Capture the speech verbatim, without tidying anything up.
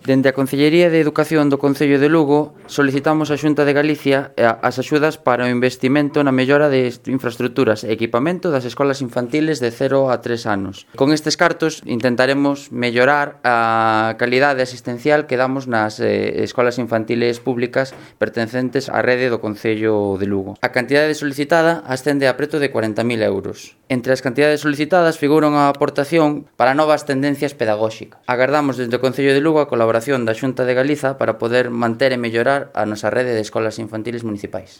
Dende a Concellería de Educación do Concello de Lugo solicitamos á Xunta de Galicia as axudas para o investimento na mellora de infraestructuras e equipamento das escolas infantiles de cero a tres anos. Con estes cartos intentaremos mellorar a calidade asistencial que damos nas eh, escolas infantiles públicas pertencentes á rede do Concello de Lugo. A cantidade solicitada ascende a preto de cuarenta mil euros. Entre as cantidades solicitadas figuran a aportación para novas tendencias pedagóxicas. Agardamos desde o Concello de Lugo a colaboración da Xunta de Galiza para poder manter e mellorar a nosa rede de escolas infantiles municipais.